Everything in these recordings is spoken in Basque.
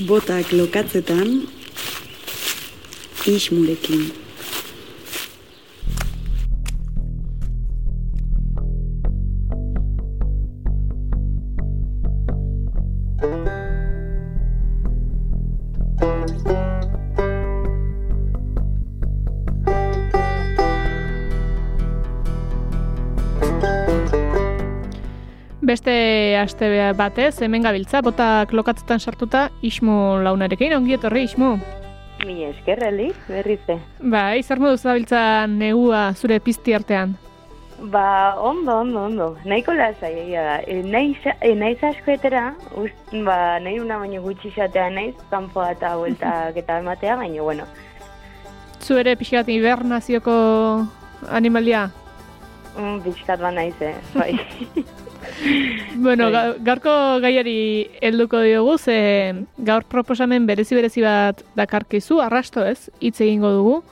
Botak lokatzetan, Ismurekin. Beste aste batez, hemen gabiltza, botak lokatzetan sartuta, Ismu launarekin, ongi etorri, Ismu. Mi eskerreli, berrize. Zer moduz gabiltza negua zure pizti artean? Ondo. Nahiko lasai egia da. Naiz askoetera, nahi una baino gutxi xatea naiz, kanpoa eta bueltak eta ematea, baina, bueno. Zu ere pixkat hibernazioko animalia? Pixkat ba naiz, bai. Bueno, gaurko gaiari helduko diogu, ze gaur proposamen berezi bat dakarkizu, arrasto ez, hitz egingo dugu,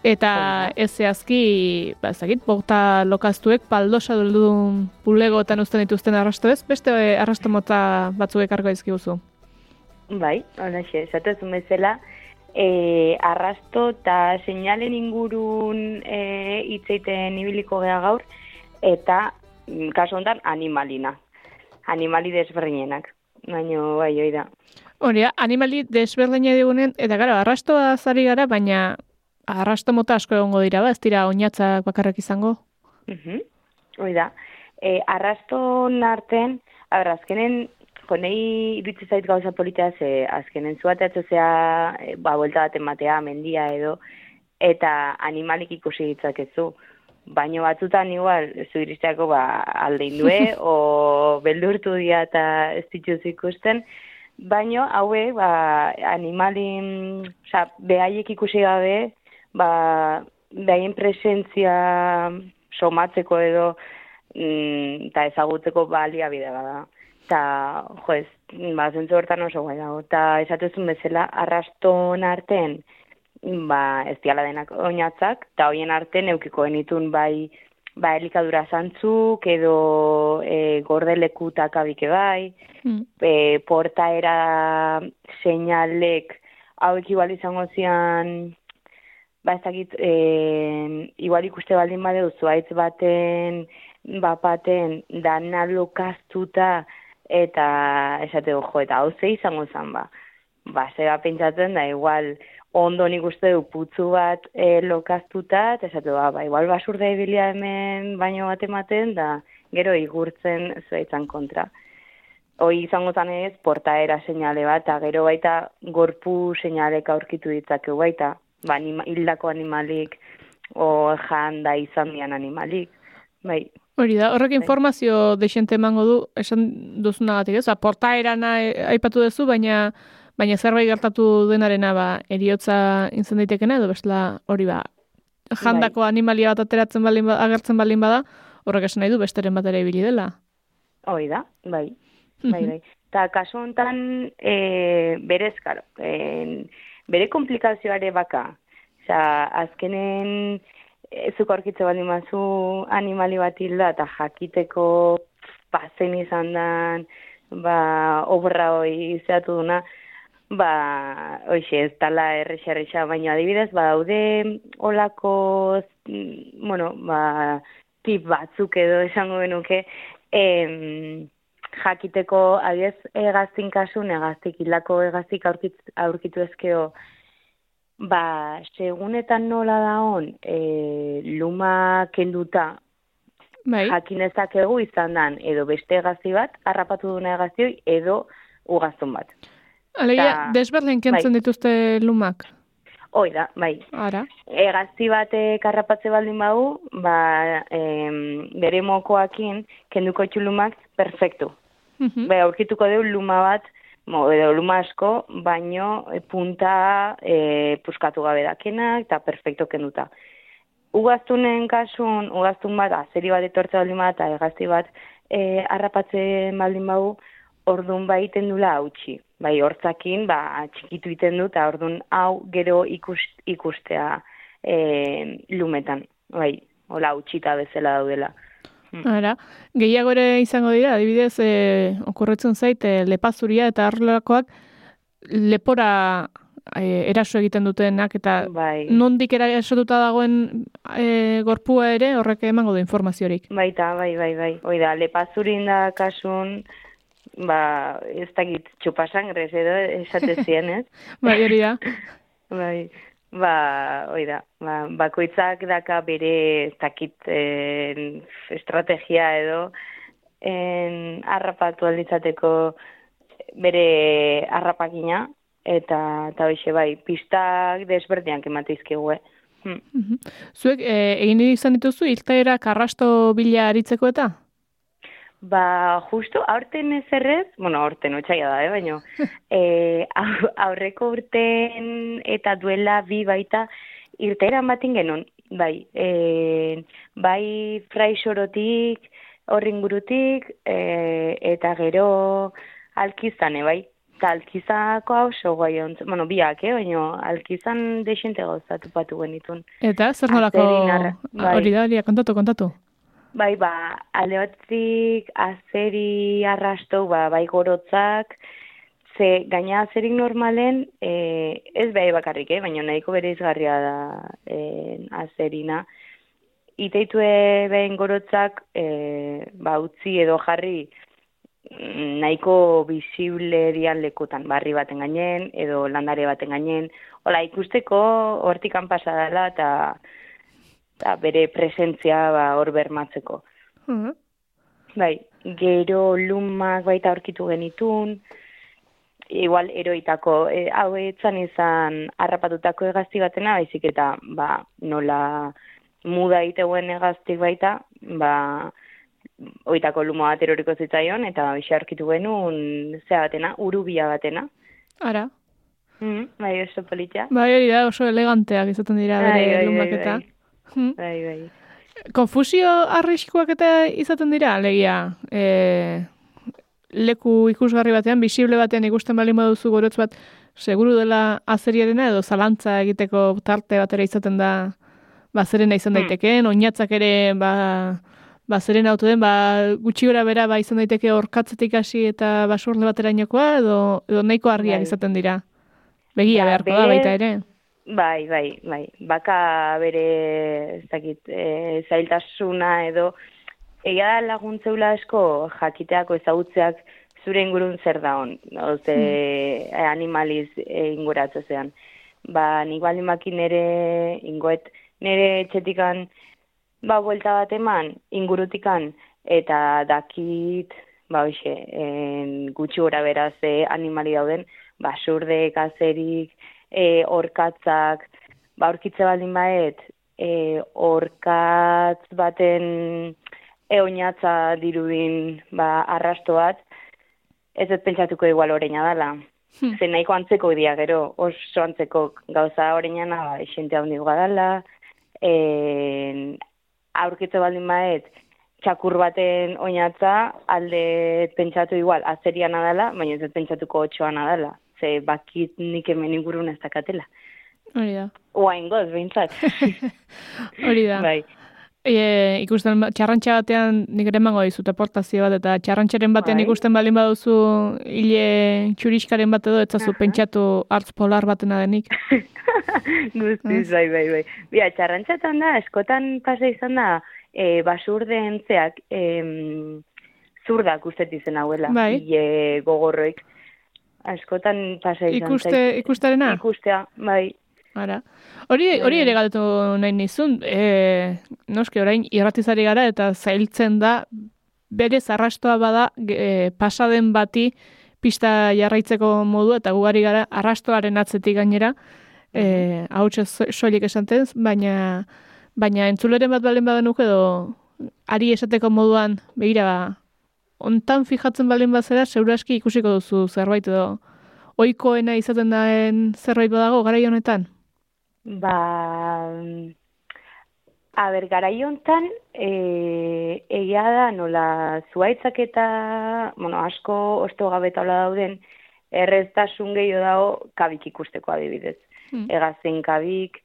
eta ez zehazki, ezagit, bota lokaztuek paldosa duldun bulegoetan uzten dituzten arrasto ez, beste arrasto mota batzuk ekarko dizkiguzu. Bai, honaxe, esatezun bezala, arrasto eta seinalen ingurun hitzeiten ibiliko gea gaur, eta kasu honetan animali desberdinenak, baina bai, hoi da. Hori da, animali desberdina digunen, eta gara, arrastoa zari gara, baina arrasto mota asko egongo dira, ez dira oinatzak bakarrak izango? Hoi da, arrasto narten, azkenen, nahi iritsi zait gauza politea, ze azkenen zuateatzo zea, buelta bat ematea, mendia edo, eta animalik ikusi ditzakezu. Baina batzutan igual, zu iristeako aldein due, o beldurtu dira eta ez dituz ikusten, baina haue, animalin, behaiek ikusi gabe, behaien presentzia somatzeko edo, eta ezagutzeko baliabide bada. Eta, zentzu hortan oso guai dago. Eta esatezun bezala, arraston artean, ez diala denak oinatzak, eta hoien artean eukiko genitun elikadura zantzuk, edo gordelekutak abike bai, portaera seinalek hauek igual izango zian, ez dakit, igual ikuste baldin badeu zuaitz baten, bapaten, dana lokaztuta, eta esateko eta hau ze izango zen zeba pentsatzen da, igual, ondo nik uste du putzu bat lokaztuta, eta esatu igual basurda ibilia hemen baino bat ematen, da gero igurtzen zuaitzan kontra. Hoi izango zanez, portaera seinale bat, eta gero baita gorpu seinalek aurkitu ditzakeu baita, hildako animalik, o janda izan dian animalik, bai. Hori da, horrek informazio deixente emango du, esan duzunagatik ez, portaeran aipatu duzu, baina zerbait gertatu denarena eriotza izan daitekena, edo bestela hori jandako animalia bat agertzen baldin bada, horrek esan nahi du besteren bat ere ibili dela. Hori da, bai. Eta kasu honetan, berez, karo, bere komplikazioare baka. Azkenen, zuk aurkitze baldin bazu animali bat hilda, eta jakiteko pazen izan dan, obra hori zeatu duna, hoxe, ez tala errexa, baina adibidez, daude olako, tip batzuk edo esango benuke, jakiteko, adibidez, egaztin kasun, hildako egaztik aurkitu ezkeo, segunetan nola daon, luma kenduta, jakin ezakegu izan dan, edo beste egazti bat, harrapatu duna egaztioi, edo ugaztun bat. Alegia, desberdin kentzen dituzte lumak? Hoi da, bai. Ara? Egazti bat harrapatze baldin badu, bere mokoakin, kenduko etxu lumak, perfektu. Aurkituko deu luma bat, edo luma asko, baino punta puskatu gabe dakenak, eta perfekto kenduta. Ugaztunen kasun, ugaztun bat, azeri bat etortze baldin bat, eta egazti bat harrapatzen baldin badu, orduan iten dula hautsi. Hortzakin, txikitu iten du, eta orduan hau gero ikustea lumetan. Hola, hautxita bezala daudela. Ara, gehiago ere izango dira, adibidez, okurritzen zait, lepazuria eta arrelakoak lepora eraso egiten dutenak, eta Bai. nondik erasotuta dagoen gorpua ere horrek emango du informaziorik. Baita, bai. Oida, lepazurin da kasun, ez dakit txupasangres edo esatezien, ez? Bai, hori da. Bai, oida, bakoitzak daka bere ez dakit estrategia edo harrapatu alditzateko bere harrapakina, eta hoxe bai, pistak desberdinak emateizkigu, Zuek, egin izan dituzu, irteerak arrasto bila aritzeko eta? Justo, aurten ez errez, aurten otxaila da, baina aurreko urten eta duela bi baita irteeran batin genuen, bai Fraisorotik, horringurutik, eta gero Alkizane, bai. Eta Alkizako hau so guai ontzen, biak, baina Alkizan desente gauzatu patu genitun. Eta, zer nolako hori da, kontatu? Bai, alde batzik azeri arrasto, bai gorotzak, ze gaina azerik normalen, ez behar bakarrik, baina nahiko bere izgarria da azerina. Iteitue behin gorotzak, utzi edo jarri, nahiko bisible dian lekutan, barri baten gainen, edo landare baten gainen, hola ikusteko hortikan pasa dela, eta bere presentzia hor bermatzeko. Bai, gero lumak baita aurkitu genitun, igual eroitako, hau etzan izan harrapatutako egazti batena, baizik eta nola muda iteuen egaztik baita, oitako luma bat eroriko zitzaion, eta bixe aurkitu genuen zea batena, urubia batena. Ara. Bai, oso politia. Bai, hori da, oso eleganteak izaten dira bere lumak eta. Bai. Konfusio arriskoak eta izaten dira, alegia, leku ikusgarri batean, bisible batean ikusten baldin baduzu gorotz bat, seguru dela azeriarena edo zalantza egiteko tarte batera izaten da, zerena izan daitekeen, oinatzak ere, zerena auto den, gutxi gora bera izan daiteke orkatzetik hasi eta basurle baterainokoa, edo nahiko argiak izaten dira. Begia beharko da baita ere. Bai. Baka bere, ez dakit, zailtasuna edo, egia da laguntzeula asko jakiteako ezagutzeak zure ingurun zer da hon, animaliz inguratze zean. Nik baldin baki nere etxetikan, buelta bat eman, ingurutikan, eta dakit, gutxi gora beraz animali dauden, basurdek, azerik, orkatzak, aurkitze baldin baet, orkatz baten oinatza dirudin arrasto bat, ez dut pentsatuko igual oreina dela. Zen nahiko antzeko dia gero, oso antzeko gauza oreinana, esente handik dela, aurkitze baldin baet, txakur baten oinatza, alde pentsatu igual, azeriana dela, baina ez pentsatuko otxoana dela. Ze bakit nik hemen ingurun ez dakatela. Hori da. Oain goz, behintzat. Hori da. Bai. Ikusten, txarrantxa batean nik ere emango dizut aportazio bat, eta txarrantxaren batean ikusten baldin baduzu hile txuriskaren bat edo, etzazu pentsatu hartz polar batena denik. Guztiz, bai. Bia, txarrantxatan da, eskotan pasa izan da, basurde entzeak zurdak ustet izen hauela, hile gogorroik. Askotan pasa izan zait. Ikustarena? Ikustea, bai. Ara. Hori ere galdetu nahi nizun, noski orain irratizari gara eta zailtzen da berez arrastoa bada pasaden bati pista jarraitzeko modu eta gugari gara arrastoaren atzetik gainera, hautsa soilik esantez, baina entzuleren bat balen badenuk edo ari esateko moduan begira ontan fijatzen balen bazera, seguraski ikusiko duzu zerbait edo ohikoena izaten daen zerbait badago garai honetan? Garai honetan, egia da nola zuaitzak eta, asko osto gabetaula dauden, erreztasun gehiago dago kabik ikusteko adibidez. Egazen kabik,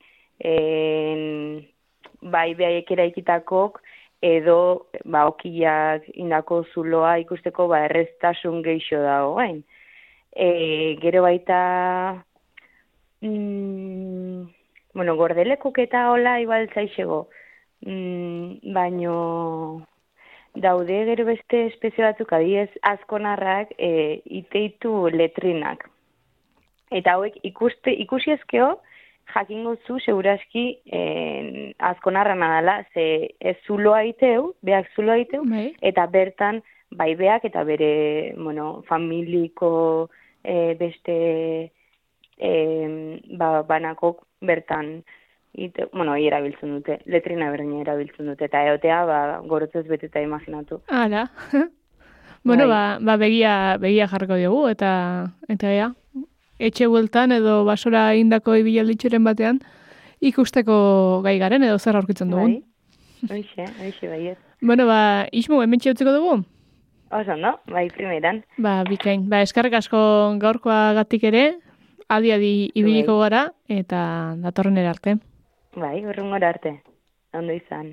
bai behaiek eraikitakok, edo okiak indako zuloa ikusteko erreztasun geixo dago gain. Gero baita gordelekuk eta hola igual zaixego, baino daude gero beste espezie batzuk adiez azkonarrak iteitu letrinak. Eta hauek ikusi ezkeo, jakingo zu seguraski azkonarra nadala, ze ez zuloa iteu, beak zuloa iteu, eta bertan bai beak eta bere familiko beste banakok bertan erabiltzen dute, letrina berdina erabiltzen dute, eta eotea gorotzez beteta imaginatu. Hala. Begia jarriko diogu, eta ea, etxe bueltan edo basora indako ibialditxuren batean ikusteko gai garen edo zer aurkitzen dugun. Hoxe, baiet. Ismu, hemen txautzeko dugu? Oso, no? Primeran. Bikain. Eskarrik asko gaurkoa gatik ere, adi ibiliko gara, eta datorren arte. Urrungora arte. Ondo izan.